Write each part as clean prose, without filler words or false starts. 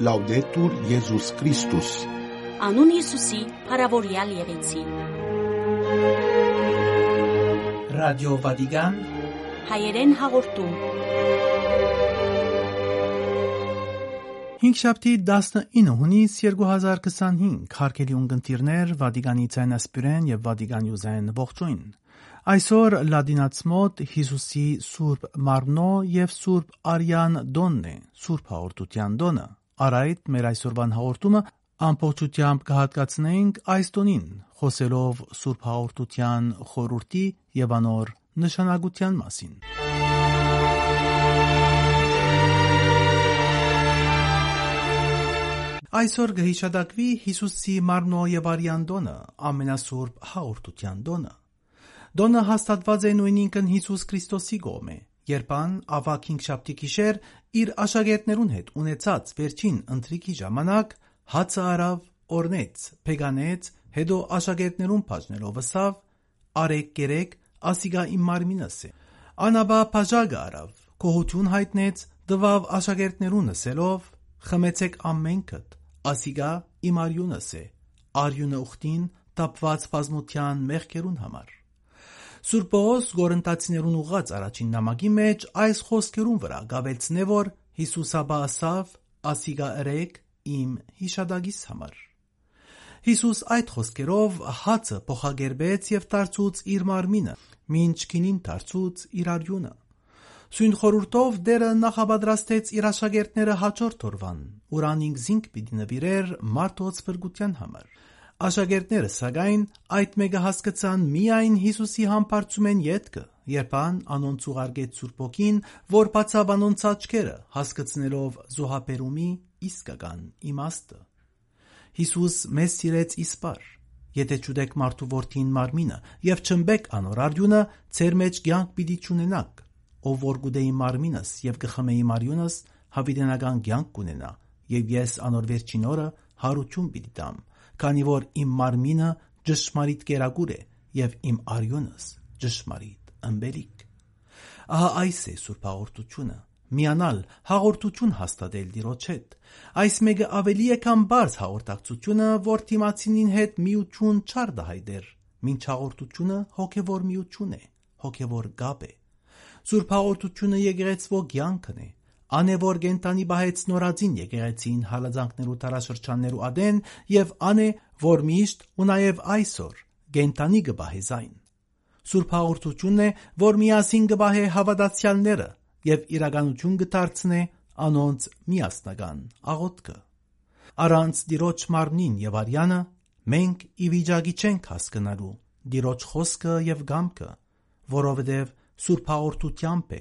Լաուդետուր Եզուս Քրիստոս։ Անուն Հիսուսի փառավորյալ եղեցի։ Ռադիո Վատիկան հայերեն հաղորդում։ Հինգշաբթի 19 հունիս 2025 հարգելի ունկնդիրներ, Վատիկանի ցայնասպիրեն եւ Վատիկան յուզեն ողջույն։ Այսօր լադինացմոտ Հիսուսի Սուրբ Մարմնո եւ Սուրբ Արյան Դոնն է, Սուրբ Հաղորդության Դոնը։ Արայդ մեր այսօրվան հաղորդումը ամբողջությամբ կհատկացնենք այս տոնին, խոսելով Սուրբ Հաղորդության խորհրդի եւ անոր նշանակության մասին։ Այսօր կհիշատակվի Հիսուսի Մարմնո եւ Արյան Դոնը, ամենասուրբ Հաղորդության Դոնը։ Դոնը հաստատված է նույնինքն Հիսուս Քրիստոսի կողմէ, երբան ավակ հինգշաբթի գիշեր իր աշակերտներուն հետ ունեցած վերջին ընթրիքի ժամանակ հացը արավ, օրնեց, փեգանեց, հետո աշակերտներուն բաժնելով ըսավ. «Արեք կերեք, ասիգա իմ մարմինս է»։ Անաբա բաժակը արավ, գոհություն հայտնեց, տվավ աշակերտներուն ասելով. «Խմեցեք ամենքդ, ասիգա իմ արյունս է, արյունը ուխտին տապված բազմության մեղքերուն համար»։ Սուրբ Պողոս Գորընթացիներուն ուղղած առաջին նամակի մեջ այս խոսքերուն վրա գավելցնե, որ Հիսուսը ասավ. «Ասիգա ըրեք իմ հիշադակիս համար»։ Հիսուս այդ խոսքերով հացը փոխագերբեց եւ դարձուց իր մարմինը, մինչ քինին դարձուց իր արյունը։ Սույն խորհուրդով Տերը նախապատրաստեց իր աշակերտները հաջորդ օրվան, ուրան ինքզինք պիտի նվիրեր մարդոց փրկության համար։ Աշակերտները սակայն այդ մեկը հասկացան միայն Հիսուսի համբարձումեն ետքը, երբան անոնց ուղարկեց Սուրբ Օգին, որ բացավ անոնց աչքերը, հասկացնելով զոհաբերումի իսկական իմաստը։ Հիսուս մեզ սիրեց իսպար։ Եթե չուտեք մարդու որդին մարմինը եւ չմբեք անոր արյունը, ձեր մեջ կյանք պիտի չունենաք։ Ով որ գուտե իմ մարմինս եւ կխմե իմ արյունս, հավիտենական կյանք կունենա, եւ ես անոր վերջին օրը հարություն պիտի տամ, քանի որ իմ մարմինը ճշմարիտ կերակուր է եւ իմ արյունս ճշմարիտ ըմբելիք։ Ահա այս է Սուրբ Հաղորդությունը, միանալ հաղորդություն հաստատել Տիրոջ հետ։ Այս մեկը ավելի է քան բարձ հաղորդակցությունը, որ թիմացինին հետ միություն չարդահայտեր, մինչ հաղորդությունը հոգևոր միություն է, հոգևոր գապ է։ Սուրբ Հաղորդությունը եկեղեցվո կյանքն է, ան է որ գենտանի բահեց նորածին եկեղեցին հալածանքներու տարաշրջաններու ադեն եւ ան է որ միշտ ու նաեւ այսօր գենտանի կբահե զայն։ Սուրբ Հաղորդությունն է, որ միասին կբահե հավատացյալները եւ իրականություն կդարձնե անոնց միասնական աղոթքը։ Առանց Տիրոջ մարմնին եւ արյանը մենք ի վիճակի չենք հասկանալու Տիրոջ խոսքը եւ գամքը, որովհետեւ Սուրբ Հաղորդությամբ է,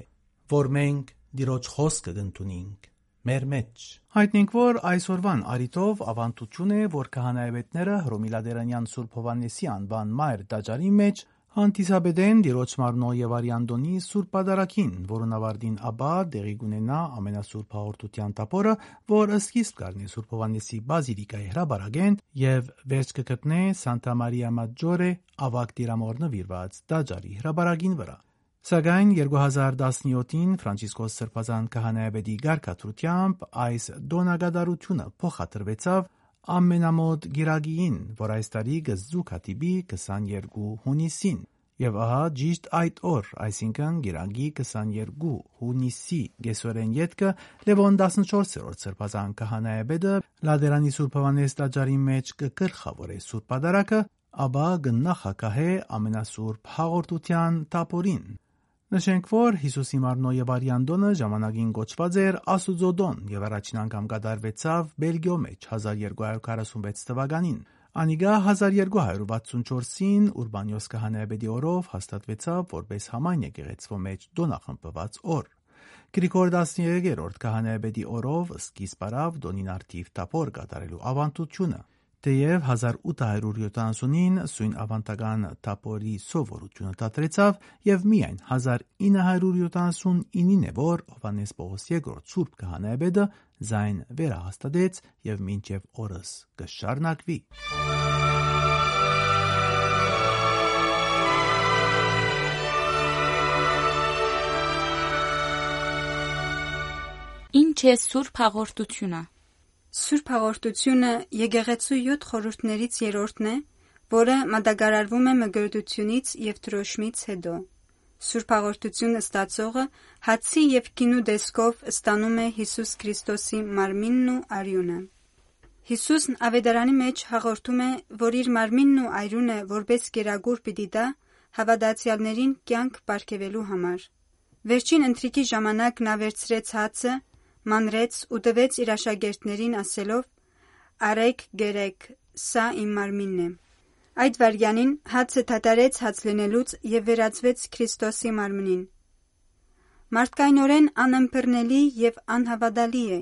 որ մենք Տիրոջ խոսքը կընդունենք մեր մեջ։ Հայտնենք, որ այսօրվան արիտով ավանդություն է, որ քահանայապետները Հռոմելադերանյան Սուրբ Հովհաննեսի անվան մայր տաճարի մեջ հանդիսաբեդեն Տիրոջ Մարմնո եւ Արյան Դոնի Սուրբ Պատարագին, որոնց ավարտին ապա տեղի կունենա ամենասուրբ Հաղորդության տապորը, որ սկիզբ կառնի Սուրբ Հովհաննեսի բազիլիկայի հրաբարագեն եւ վերջ կգտնե Սանտա Մարիա Մաջորե ավագ տիրամոր նվիրված տաճարի հրաբարագին վրա։ Սակայն 2017-ին Ֆրանցիսկոս Սրբազան քահանայապետի գարկաթրությամբ այս դոնագադարությունը փոխադրվեցավ ամենամոտ գիրագին, որ այս տարի կզուգադիպի 22 հունիսին։ Եվ ահա ճիշտ այդ օր, այսինքն գիրագի 22 հունիսի գեսորեն ետքը Լևոն 14-րդ Սրբազան քահանայապետը Լադերանի Սուրբ Հովհաննես տաճարի մեջ կգլխավորե Սուրբ Պատարագը, ապա կնախագահե ամենասուրբ Հաղորդության տապորին։ Նշենք, որ Հիսուսի Մարմնո եւ Արյան Դոնը ժամանակին կոչված էր Աստուծո Դոն եւ առաջին անգամ կատարվեցավ Բելգիո մեջ 1246 թվականին։ Անիգա 1264-ին Ուրբանիոս քահանայապետի օրով հաստատվեցավ որպես համայն եկեղեցվո մեջ դոնախմբված օր։ Գրիգոր 13-րդ քահանայապետի օրով սկիզբ առավ Դոնին արդիվ տապոր կատարելու ավանդությունը։ Թեև 1870-ին սույն ավանդական տապորի սովորությունը դադրեցավ եւ միայն 1979-ին է որ Հովհաննես Պողոս II Սուրբ քահանայապետը զայն վերահաստատեց եւ մինչեւ օրս կշարունակվի։ Ինչ է Սուրբ Հաղորդությունը։ Սուրբ հաղորդությունը եկեղեցու 7 խորհուրդներից երրորդն է, որը մատակարարվում է մկրտությունից և դրոշմից հետո։ Սուրբ հաղորդությունը ստացողը հացի և գինու տեսքով ստանում է Հիսուս Քրիստոսի մարմինն ու արյունը։ Հիսուսն ավետարանի մեջ հաղորդում է, որ իր մարմինն ու արյունը որպես կերակուր պիտի տա հավատացյալներին կյանք պարգևելու համար։ Վերջին ընթրիքի ժամանակ նա վերցրեց հացը, մանրեց ու տվեց իր աշակերտներին ասելով. «Արեք, գերեք, սա իմ մարմինն է»։ Այդ վայրկյանին հացը դադարեց հաց լինելուց և վերածվեց Քրիստոսի մարմնին։ Մարդկայնորեն անըմբռնելի և անհավատալի է,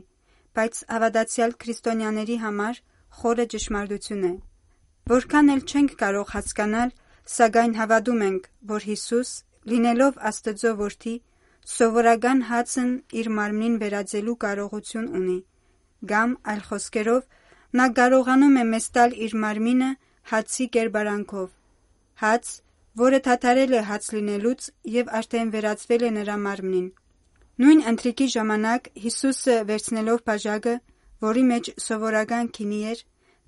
բայց հավատացյալ քրիստոնյաների համար խորը ճշմարտություն է։ Որքան էլ չենք կարող հասկանալ, սակայն հավատում ենք, որ Հիսուս, լինելով Աստծո որդի, սովորական հացն իր մարմնին վերածելու կարողություն ունի, կամ այլ խոսքերով, նա կարողանում է մեզ տալ իր մարմինը հացի կերպարանքով, հաց, որը դադարել է հաց լինելուց և արդեն վերածվել է նրա մարմնին։ Նույն ընթրիքի ժամանակ Հիսուսը վերցնելով բաժակը, որի մեջ սովորական գինի էր,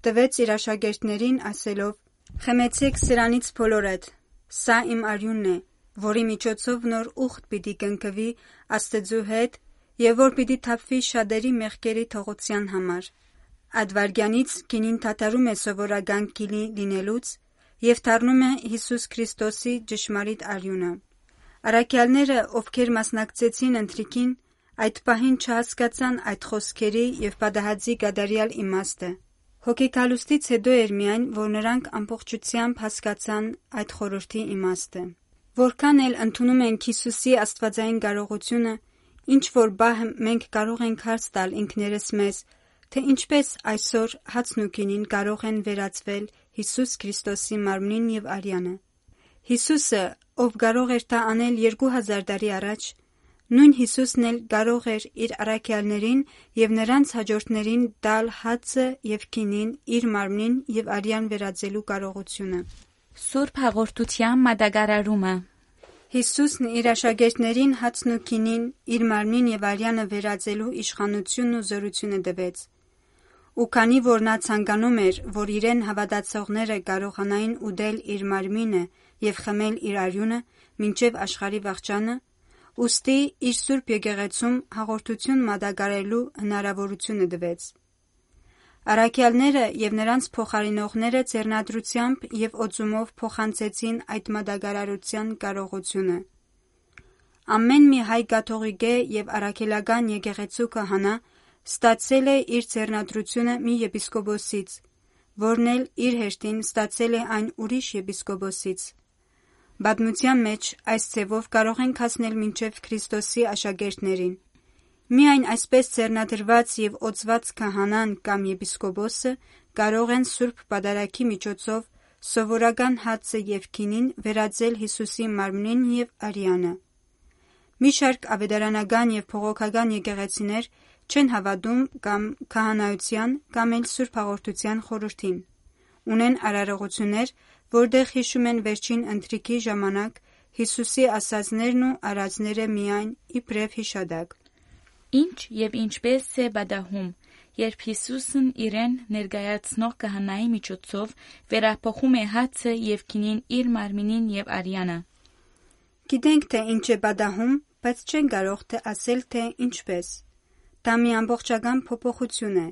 տվեց իր աշակերտներին ասելով. «Խմեցեք սրանից բոլորդ, սա իմ արյունն է, որի միջոցով նոր ուխտ պիտի կնքվի Աստծու հետ և որ պիտի թափվի շատերի մեղքերի թողության համար»։ Այդ վայրկյանից գինին դադարում է սովորական գինի լինելուց և դառնում է Հիսուս Քրիստոսի ճշմարիտ արյունը։ Առաքյալները, ովքեր մասնակցեցին ընթրիքին, այդ պահին չհասկացան այդ խոսքերի և պատահածի կատարյալ իմաստը։ Հոգեկալուստից հետո էր միայն, որ նրանք ամբողջությամբ հասկացան այդ խորհրդի իմաստը։ Որքան էլ ընդունում ենք Հիսուսի աստվածային կարողությունը, ինչ-որ բահ մենք կարող ենք հարց տալ ինքներս մեզ, թե ինչպես այսօր հացն ու գինին կարող են վերածվել Հիսուս Քրիստոսի մարմնին և արյանը։ Հիսուսը, ով կարող էր դա անել 2000 տարի առաջ, նույն Հիսուսն էլ կարող էր իր առաքյալներին և նրանց հաջորդներին տալ հացը և գինին իր մարմնին և արյան վերածելու կարողությունը։ Սուրբ հաղորդության մատակարարումը։ Հիսուսն իր աշակերտներին հացն ու գինին իր մարմնին և արյանը վերածելու իշխանությունն ու զորությունը տվեց։ Ու քանի որ նա ցանկանում էր, որ իրեն հավատացողները կարողանային ուտել իր մարմինը և խմել իր արյունը մինչև աշխարհի վախճանը, ուստի իր սուրբ եկեղեցում հաղորդություն մատակարարելու հնարավորությունը տվեց։ Առաքյալները և նրանց փոխարինողները ձեռնադրությամբ և օծումով փոխանցեցին այդ մատակարարության կարողությունը։ Ամեն մի հայ կաթողիկե և առաքելական եկեղեցու քահանա ստացել է իր ձեռնադրությունը մի եպիսկոպոսից, որն էլ իր հերթին ստացել է այն ուրիշ եպիսկոպոսից։ Պատմության մեջ այս ձևով կարող ենք հասնել մինչև Քրիստոսի աշակերտներին։ Միայն այսպես ձեռնադրված և օծված քահանան կամ եպիսկոպոսը կարող են սուրբ պատարագի միջոցով սովորական հացը և գինին վերածել Հիսուսի մարմնին և արյանը։ Մի շարք ավետարանական և բողոքական եկեղեցիներ չեն հավատում կամ քահանայության կամ էլ սուրբ հաղորդության խորհրդին։ Ունեն արարողություններ, որտեղ հիշում են վերջին ընթրիքի ժամանակ Հիսուսի ասածներն ու արածները միայն իբրև հիշատակ։ Ինչ և ինչպես է պատահում, երբ Հիսուսն իրեն ներկայացնող քահանայի միջոցով վերափոխում է հացը և գինին իր մարմինին և արյանը։ Գիտենք, թե ինչ է պատահում, բայց չենք կարող ասել, թե ինչպես։ Դա մի ամբողջական փոփոխություն է,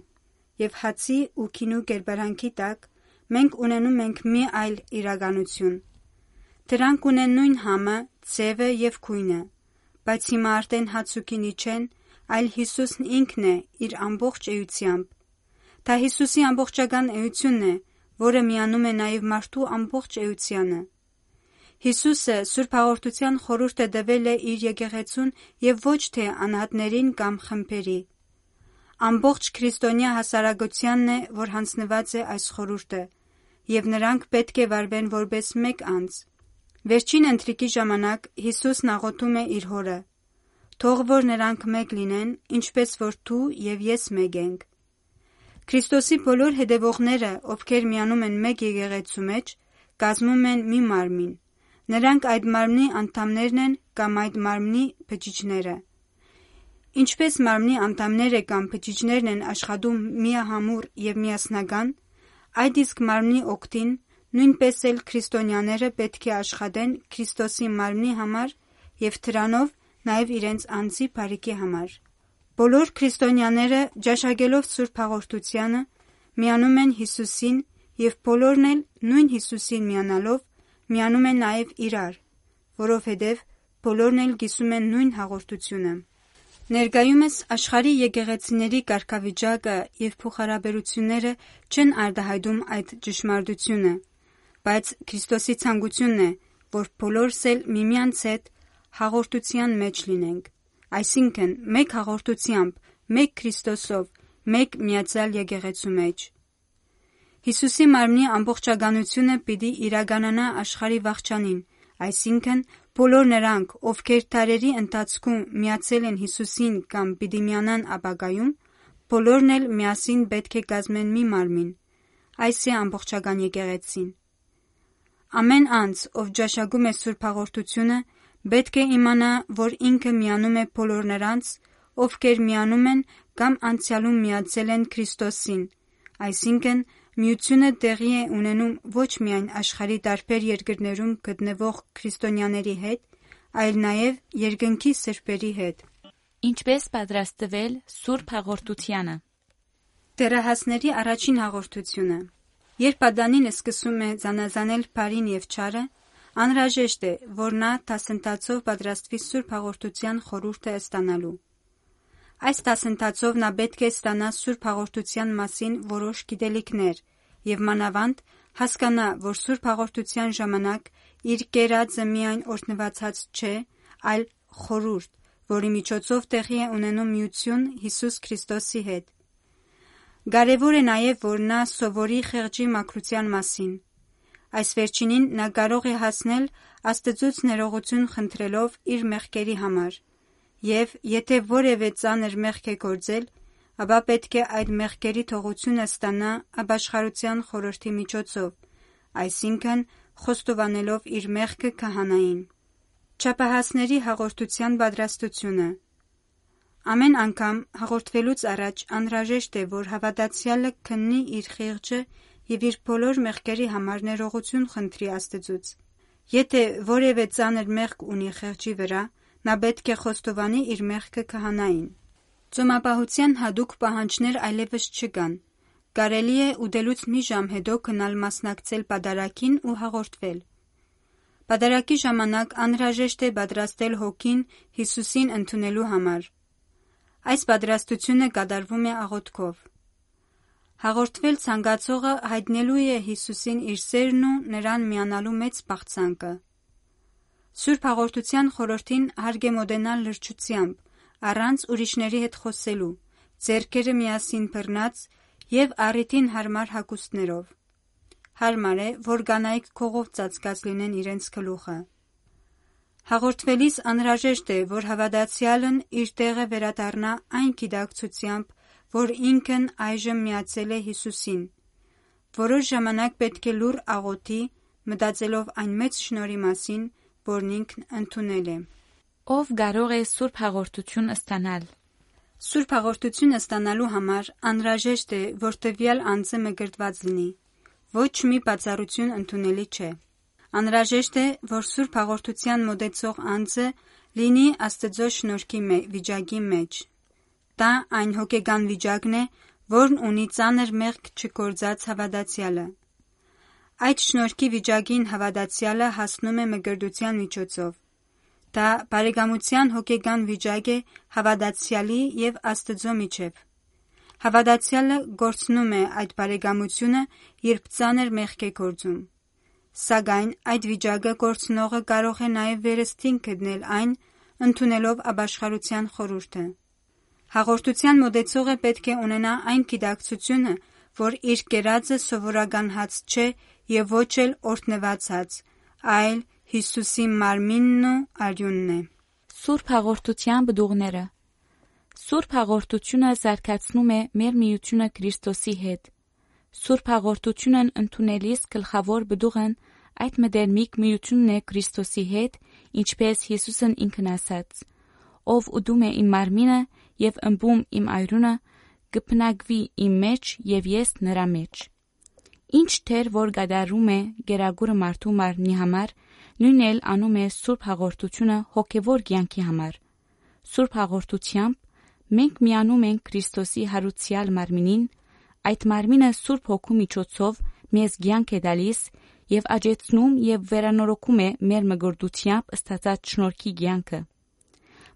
և հացի ու գինու կերպարանքի տակ մենք ունենում ենք մի այլ իրականություն։ Դրանք ունեն նույն համը, ձևը և գույնը, բայց հիմա արդեն հաց ու գինի չեն, այլ Հիսուսն ինքն է իր ամբողջ էությամբ։ Դա Հիսուսի ամբողջական էությունն է, որը միանում է նաև մարդու ամբողջ էությանը։ Հիսուսը սուրբ հաղորդության խորհուրդ է տվել է իր եկեղեցուն և ոչ թե անհատներին կամ խմբերի։ Ամբողջ քրիստոնյա հասարակությանն է, որ հանձնված է այս խորհուրդը, և նրանք պետք է վարվեն որպես մեկ անձ։ Վերջին ընթրիքի ժամանակ Հիսուսն աղոթում է իր Հորը. «Թող որ նրանք մեկ լինեն, ինչպես որ դու և ես մեկ ենք»։ Քրիստոսի բոլոր հետևողները, ովքեր միանում են մեկ եկեղեցու մեջ, կազմում են մի մարմին։ Նրանք այդ մարմնի անդամներն են կամ այդ մարմնի բջիջները։ Ինչպես մարմնի անդամները կամ բջիջներն են աշխատում միահամուռ եւ միասնական, այդ իսկ մարմնի օգտին նույնպես էլ քրիստոնյաները պետք է աշխատեն Քրիստոսի մարմնի համար եւ դրանով նաեւ իրենց անձի բարիքի համար։ Բոլոր քրիստոնյաները ճաշակելով Սուրբ Հաղորդությանը միանում են Հիսուսին եւ բոլորն էլ նույն Հիսուսին միանալով միանում են նաեւ իրար, որովհետեւ բոլորն էլ գիսում են նույն հաղորդությունը։ Ներկայումս աշխարհի եկեղեցիների կարգավիճակը եւ փոխհարաբերությունները չեն արտահայտում այդ ճշմարտությունը, բայց Քրիստոսի ցանկությունն է, որ բոլորս էլ միմյանց հետ հաղորդության մեջ լինենք, այսինքն մեկ հաղորդությամբ, մեկ Քրիստոսով, մեկ միացյալ եկեղեցու մեջ։ Հիսուսի մարմնի ամբողջականությունը պիտի իրականանա աշխարհի վախճանին, այսինքն բոլոր նրանք, ովքեր դարերի ընթացքում միացել են Հիսուսին կամ պիտի միանան ապագայում, բոլորն էլ միասին պետք է կազմեն մի մարմին։ Այս է ամբողջական եկեղեցին։ Ամեն անձ, ով ճաշակում է Սուրբ Հաղորդությունը, պետք է իմանա, որ ինքը միանում է բոլոր նրանց, ովքեր միանում են կամ անցյալում միացել են Քրիստոսին, այսինքն միությունը տեղի է ունենում ոչ միայն աշխարհի տարբեր երկրներում գտնվող քրիստոնյաների հետ, այլ նաև երկնքի սրբերի հետ։ Ինչպես պատրաստվել Սուրբ Հաղորդությանը։ Դերահասների առաջին հաղորդությունը։ Երբ Ադամին սկսում է զանազանել բարին եւ չարը, անհրաժեշտ է, որ նա դասընթացով պատրաստվի Սուրբ Հաղորդության խորհուրդը ստանալու։ Այս դասընթացով նա պետք է ստանա Սուրբ Հաղորդության մասին որոշ գիտելիքներ եւ մանավանդ հասկանա, որ Սուրբ Հաղորդության ժամանակ իր կերածը միայն օրհնվածած չէ, այլ խորհուրդ, որի միջոցով տեղի է ունենում միություն Հիսուս Քրիստոսի հետ։ Կարևոր է նաև, որ նա սովորի խեղճի մաքրության մասին։ Այս վերջինին նա կարող է հասնել Աստծուց ներողություն խնդրելով իր մեղքերի համար, եւ եթե որևէ ծանր մեղք է գործել, ապա պետք է այդ մեղքերի թողությունը ստանա ապաշխարության խորհրդի միջոցով, այսինքն խոստովանելով իր մեղքը քահանային։ Չափահասների հաղորդության պատրաստությունը։ Ամեն անգամ հաղորդվելուց առաջ անհրաժեշտ է, որ հավատացյալը քննի իր խեղճը եւ իր բոլոր մեղքերի համար ներողություն խնդրի Աստծուց։ Եթե որևէ ծանր մեղք ունի խեղճի վրա, նա պետք է խոստովանի իր մեղքը քահանային։ Ծոմապահության հատուկ պահանջներ այլևս չկան։ Կարելի է ուտելուց մի ժամ հետո գնալ մասնակցել պատարագին ու հաղորդվել։ Պատարագի ժամանակ անհրաժեշտ է պատրաստել հոգին Հիսուսին ընդունելու համար։ Այս պատրաստությունը կատարվում է աղոթքով։ Հաղորդվել ցանկացողը հայտնելու է Հիսուսին իր սերն ու նրան միանալու մեծ պաղծանքը։ Սուրբ Հաղորդության խորհրդին հարկ է մոտենալ լրջությամբ, առանց ուրիշների հետ խոսելու, ձեռքերը միասին բռնած եւ առիթին հարմար հագուստներով։ Հարմար է, որ կանայք քողով ծածկած լինեն իրենց գլուխը։ Հաղորդվելիս անհրաժեշտ է, որ հավատացյալն իր տեղը վերադառնա այն գիտակցությամբ, որ ինքն այժմ միացել է Հիսուսին։ Որոշ ժամանակ պետք է լուռ աղոթի, մտածելով այն մեծ շնորհի մասին, որն ինքն ընդունել է։ Ով կարող է Սուրբ Հաղորդություն ստանալ։ Սուրբ Հաղորդություն ստանալու համար անհրաժեշտ է, որ տվյալ անձը մկրտված լինի։ Ոչ մի բացառություն ընդունելի չէ։ Անհրաժեշտ է, որ Սուրբ Հաղորդության մոտեցող անձը լինի Աստծո շնորհքի վիճակի մեջ։ Դա այն հոգեկան վիճակն է, որն ունի ծանր մեղք չգործած հավատացյալը։ Այդ շնորհքի վիճակին հավատացյալը հասնում է մկրտության միջոցով։ Դա բարեկամության հոգեկան վիճակ է հավատացյալի եւ Աստծո միջև։ Հավատացյալը գործնում է այդ բարեկամությունը, երբ ծանր մեղք է գործում։ Սակայն այդ վիճակը գործնողը կարող է նաև վերստին գտնել այն, ընդունելով ապաշխարության խորհուրդը։ Հաղորդության մոտեցողը պետք է ունենա այն գիտակցությունը, որ իր կերածը սովորական հաց չէ եւ ոչ էլ օրհնված հաց, այլ Հիսուսի մարմինն ու արյունն է։ Սուրբ Հաղորդության բդուղները։ Սուրբ Հաղորդությունը զարգացնում է մեր միությունը Քրիստոսի հետ։ Սուրբ Հաղորդությունն ընդունելիս գլխավոր բդուղն այդ մտերմիկ միությունն է Քրիստոսի հետ, ինչպես Հիսուսն ինքն ասաց. ով ուդում է իմ մարմինը եւ ըմբում իմ այրունը, կփնագվի իմ մեջ եւ ես նրա մեջ։ Ինչ թեր որ գադարում է գերագուրը մարդու մարմնի համար, նույնն էլ անում է Սուրբ հաղորդությունը հոգևոր կյանքի համար։ Սուրբ հաղորդությամբ մենք միանում ենք Քրիստոսի հարուցյալ մարմինին, այդ մարմինը Սուրբ Հոգու միջոցով մեզ կյանք է տալիս եւ աճեցնում եւ վերանորոգում է մեր մգրդությամբ ստացած շնորհքի կյանքը,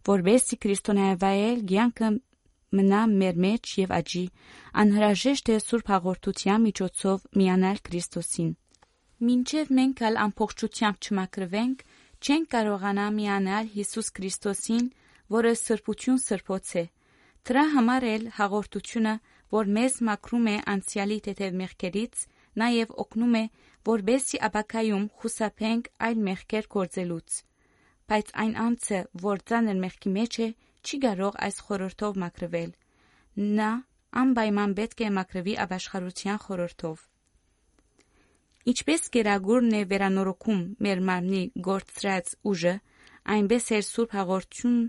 որովհետեւ քրիստոնեայել կյանքը մնա մեր մեջ եւ աճի, անհրաժեշտ է Սուրբ հաղորդության միջոցով միանալ Քրիստոսին։ Մինչև մենք ալ ամբողջությամբ չմաքրվենք, չենք կարողանա միանալ Հիսուս Քրիստոսին, որը սրբություն սրբոց է։ Դրա համար էլ հաղորդությունը, որ մեզ մաքրում է անցյալի թեթև մեղքերից, նաև օգնում է, որբեսի ապակայում խուսափենք այլ մեղքեր գործելուց։ Բայց այն անձը, որ ծանր մեղքի մեջ է, չի կարող այս խորհրդով մաքրվել։ Նա անպայման պետք է մաքրվի ապաշխարության խորհրդով։ Ինչպես գերագուրն է վերանորոգում մեր մարմնի գործած ուժը, այնպես է Սուրբ հաղորդությունն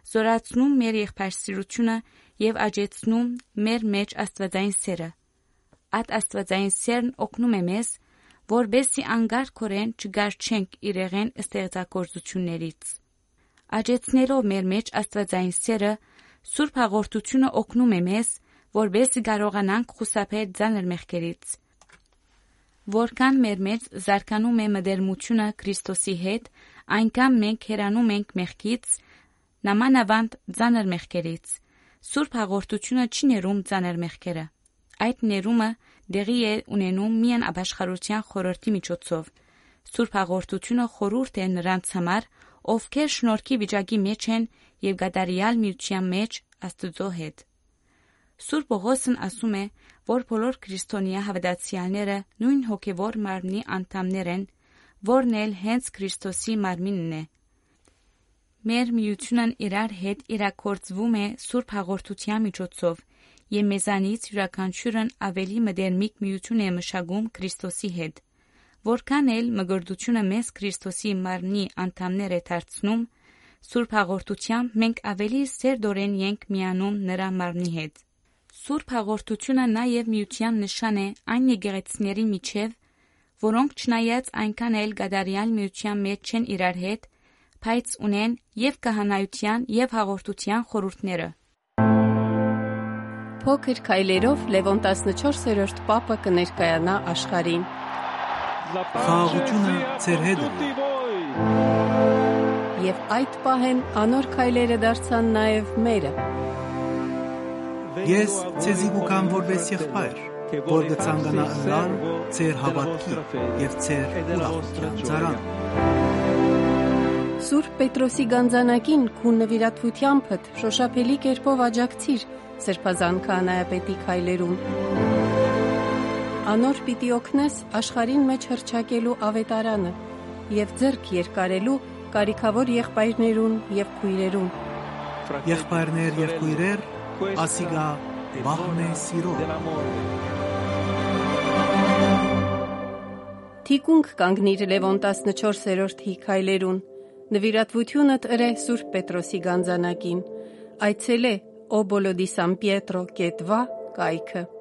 զորացնում մեր եղբայրսիրությունը եւ աճեցնում մեր մեջ աստվածային սերը։ Այդ աստվածային սերն օգնում է մեզ, որբեսի անգարքորեն չգարչենք իրեղեն ստեղծագործություններից։ Աճեցնելով մեր մեջ աստվածային սերը, Սուրբ հաղորդությունը օգնում է մեզ, որբեսի կարողանանք խուսափել ծանր մեղքերից։ Որքան մեր մեջ զարգանում է մտերմությունը Քրիստոսի հետ, այնքան մենք հեռանում ենք մեղքից, նամանավանդ ծանր մեղքերից։ Սուրբ հաղորդությունը չի ներում ծանր մեղքերը։ Այդ ներումը դեղի է ունենում միայն ապաշխարության խորհրդի միջոցով։ Սուրբ հաղորդությունը խորհուրդ է նրանց համար, ովքեր շնորհքի վիճակի մեջ են եւ գադարյալ միության մեջ Աստծո հետ։ Սուրբ Պողոսն ասում է, որ բոլոր քրիստոնյա հավատացյալները նույն հոգևոր մարմնի անդամներ են, որն էլ հենց Քրիստոսի մարմինն է։ Մեր միությունն իրար հետ իրագործվում է Սուրբ հաղորդության միջոցով, եւ մեզանից յուրաքանչյուրն ավելի մտերմիկ միություն է մշակում Քրիստոսի հետ։ Որքան էլ մգրդությունը մեզ Քրիստոսի մարմնի անդամներ է դարձնում, Սուրբ հաղորդությամբ մենք ավելի սերտորեն ենք միանում նրա մարմնի հետ։ Սուրբ հաղորդությունը նաև միության նշան է այն եկեղեցիների միջև, որոնք չնայած այնքան էլ գադարյալ միության մեջ չեն իրար հետ, բայց ունեն եւ քահանայության եւ հաղորդության խորհուրդները։ Փոքր քայլերով Լևոն 14-րդ պապը կներկայանա աշխարհին։ Խաղաղությունը ձեր հետ է։ Եվ այդ պահեն անոր քայլերը դարձան նաև մերը։ Ես ցեզի կուքամ որպես եղբայր, որ կցանկանա ընլալ ձեր հավատքի եւ ձեր ուրախության ծարան։ Սուրբ Պետրոսի գանձանակին քու նվիրատվությանդ շոշափելի կերպով աջակցիր Սրբազան քահանայապետի քայլերում։ Անոր պիտի օգնես աշխարհին մեջ հռչակելու ավետարանը եւ ձեռք երկարելու կարիքավոր եղբայրներուն եւ քույրերուն։ Եղբայրներ եւ քույրեր, ասիգա վահն է սիրո։ Թիկունք կանգնիր Լևոն 14-րդի քայլերուն։ Նվիրատվությունդ ըրե Սուրբ Պետրոսի գանձանակին։ Այցելե Obolo di San Pietro կետվա կայքը։